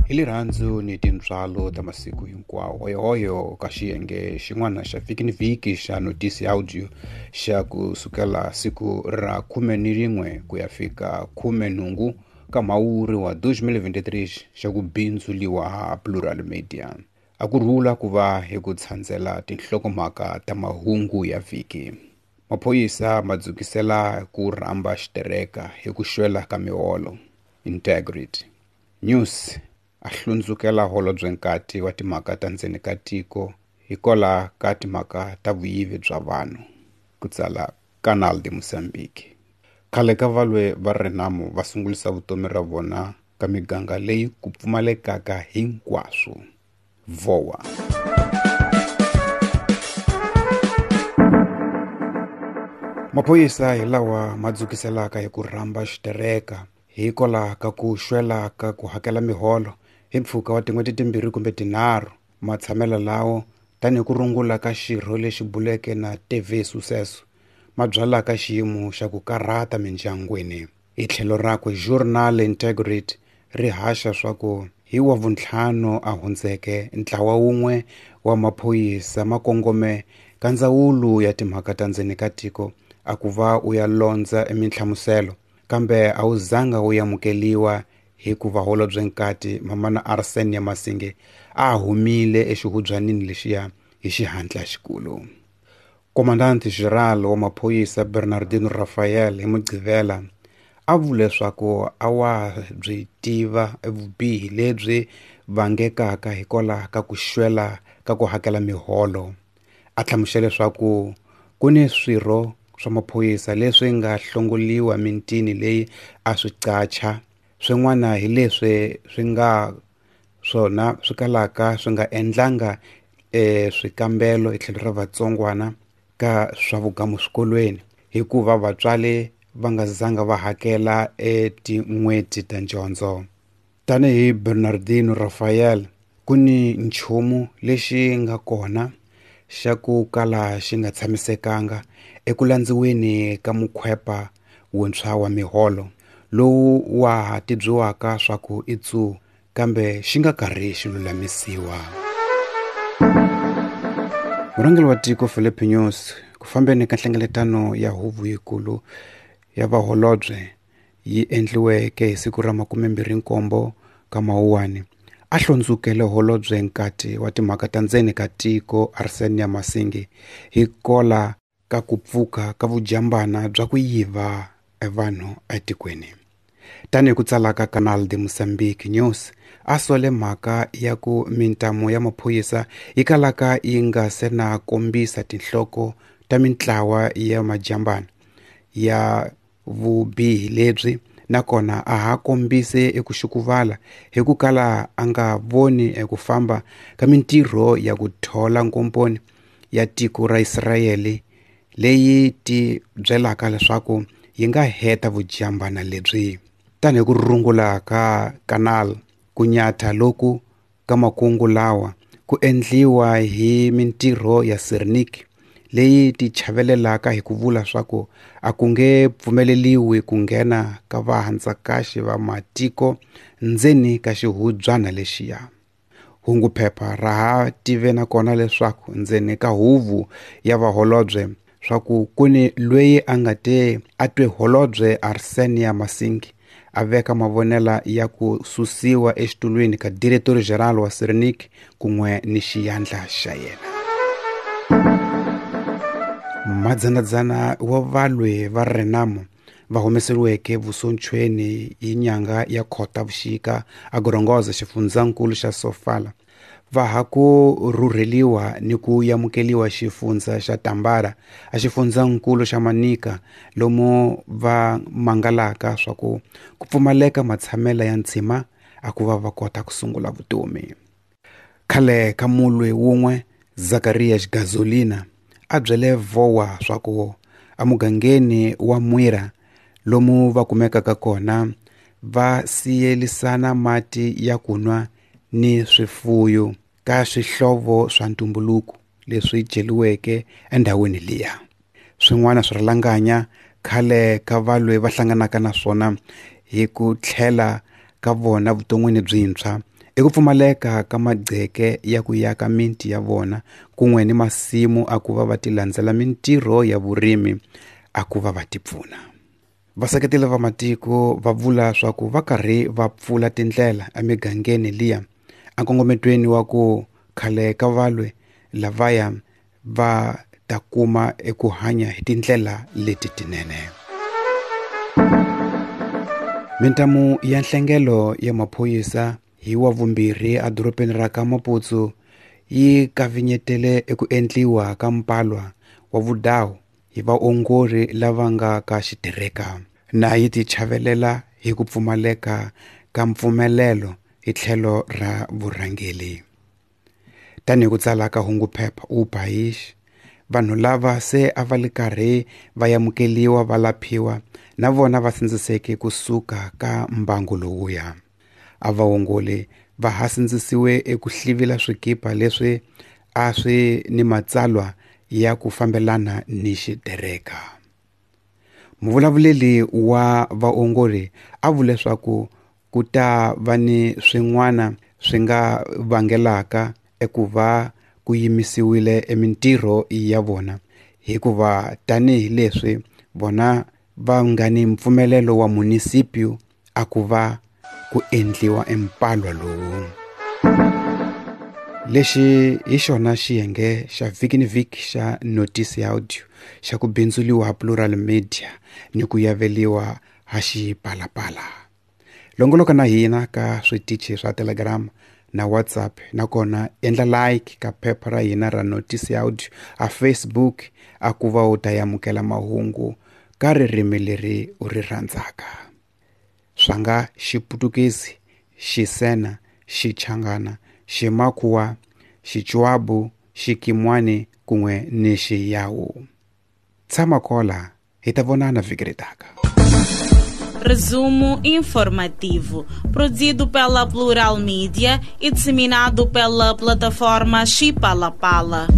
Hi lirhandzu ni tintswalo ta masiku hinkwawo, hoyohoyo ka xiyenge xin'wana xa vhiki ni vhiki xa notisi audio xa ku sukela siku ra 11 ku ya fika 18 ka Mhawuri wa 2023 xa ku bindzuliwa ha Plural Media. A ku rhula ku va hi ku tshandzela tinhlokomhaka ta mahungu ya vhiki. Maphorisa ma dzukisela ku rhamba xitereka hi ku xwela ka miholo. Integrity News a hlundzukela holobye nkati wa timhaka ta ndzeni ka tiko hikwalaho ka timhaka ta vuyivi bya vanhu, ku tsala Canal de Mozambique. Khale ka valwe va Renamo va sungulisa vutomi ra vona ka miganga leyi ku pfumalekaka hinkwaswo. Vowa. Maphorisa hi lawa ma dzukiselaka hi ku rhamba xitereka hikwalaho ka ku xwela ka ku hakela miholo hi mpfhuka wa tin'hweti timbirhi kumbe tinharhu. Matshamelo lawo tanihi ku rungula ka xirho lexi buleke na TV Sucesso ma byalaka xiyimo xa ku karhata mindyangwini. Hi tlhelo rakwe Journal Integrity ri haxa swa ku hi wa vuntlhanu a hundzeke ntlawa wun'we wa maphorisa ma kongome ka ndzawulo ya timhaka ta ndzeni ka tiko a ku va u ya londza eminhlamuselo, kambe a wu zanga wu amukeliwa hikuva holobye nkati Mamana Arsenia Masinge a humile exihubyanini lexiya hi xihatla xikulu. Komandante General wa maphorisa Bernardino Rafael hi Mugqivela a vule leswaku a wa byi tiva vubihi lebyi vangekaka hikwalaho ka ku xwela ka ku hakela miholo. A hlamusela leswaku ku ni swirho swa maphorisa leswi nga hlongoliwa mitini leyi a swi qacha, swin'wana hi leswi swi nga swona swi kalaka swi nga endlanga swikambelo hi tlhelo ra vatsongwana ka swa vugamu swikolweni hikuva vatswari va nga zanga va hakela etin'hweti ta dyondzo. Tanihi Bernardino Rafael, ku ni nchumu lexi nga kona xa ku kala xi nga tshamisekanga eku landziweni ka mukhwepa wuntshwa wa miholo lowu wa ha tibyisiwaka swa ku i tsu, kambe xi nga karhi xi lulamisiwa. Murhangeri wa tiko Filipe Nyusi ku fambeni ka nhlengeletano ya huvo yikulu ya vaholobye yi endliweke hi siku ra 27 ka Mawuwani a hlundzukele holobye nkati wa timhaka ta ndzeni ka tiko Arsenia Masingi hikola ka ku pfuka ka vujambana bya ku yiva vanhu etikweni. Tanihi ku tsala ka Canal de Mozambique News a sole mhaka ya ku mintamu ya maphorisa yi kalaka yi nga se na kombisa tinhloko ta mintlawa ya majambana ya vubihi lebyi, nakona a ha kombise eku xukuvala hi ku kala a nga voni eku famba ka mintirho ya ku thola nkomponi ya tiko ra Israyele leyi ti byelaka leswaku yi nga heta vujambana lebyi. Tanihi ku rungula ka Canal, ku nyatha loku ka makungu lawa ku endliwa hi mintirho ya Sernic leyi ti chavelelaka hi ku vula swa ku a ku nge pfumeleliwi ku nghena ka vahandzakaxi va matiko ndzeni ka xihubyana lexiya. Hunguphepha ra ha tive nakona leswaku ndzeni ka huvo ya vaholobye swa ku ku ni loyi a nga te a twe holobye Arsenia Masingi a veka mavonela ya ku susiwa exitulwini ka Director General wa Sernic kun'we ni xiyandla xa yena. Madzanadzana wa valwi va Renamo va humeseriweke vusontshweni hi nyanga ya Khotavuxika a Gorongosa xifundzankulu xa Sofala va ha ku rhurheliwa ni ku amukeliwa xifundza xa Tambara a xifundzankulu xa Manica lomu va mangalaka swa ku ku pfumaleka matshamela ya ntshima a ku va va kota ku sungula vutomi. Khale ka mulwi wun'we Zacharias Gazolina a byele Vowa swa ku emugangeni wa Mwira lomu va kumekaka kona va siyelisana mati ya ku nwa ni swifuyo ka swihlovo swa ntumbuluko leswi celiweke endhawini liya. Swin'wana swirhalanganya khale ka valwe va hlanganaka na swona hi ku tlhela ka vona vuton'wini byintshwa I ku pfumaleka ka magceke ya ku yaka miti ya vona kun'we ni masimu a ku va va ti landzela mintirho ya vurimi a ku va va ti pfuna. Vaseketeli va matiko va vula swa ku va karhi va pfula tindlela emigangeni liya enkongometweni wa ku khale ka valwe lavaya va ta kuma eku hanya hi tindlela leti tinene. Mintamu ya nhlengelo ya maphorisa hi wa vumbirhi edorobeni ra ka Maputo yi kavinyetele eku endliwa ka mpalwa wa vudawu hi vaongori lava nga ka xitereka na yi ti chavelela hi ku pfumaleka ka mpfumelelo hi tlhelo ra vurhangeri. Tanihi ku tsala ka hunguphepha U País, vanhu lava se a va li karhi va yamukeliwa va laphiwa na vona va sindziseke kusuka ka mbangu lowuya. A vaongori va ha sindzisiwe eku hlivila swikipa leswi a swi ni matsalwa ya ku fambelana ni xitereka. Muvulavuleli wa vaongori a vule leswaku ku ta va ni swin'wana swi nga vangelaka eku va ku yimisiwile emintirho ya vona hikuva tanihileswi vona va nga ni mpfumelelo wa munisipio a ku va ku endliwa empalwa lowu. Lexi hi xona xiyenge xa vhiki ni vhiki xa Notice Audio xa ku bindzuliwa Plural Media ni ku yaveliwa ha Xipalapala. Longoloka na hina ka switichi swa Telegram na WhatsApp, nakona endla like ka phepha ra hina ra Notice Audio a Facebook a ku va u ta amukela mahungu ka ririmi leri u ri rhandzaka. Swa nga Xiputukezi, Xisena, Xichangana, Ximakhuwa, Xichwabu, Xikimwani kun'we ni Xiyawu. Tshama kola, hi ta vonana vhiki ri taka. Resumo informativo, produzido pela Plural Mídia e disseminado pela plataforma Xipalapala.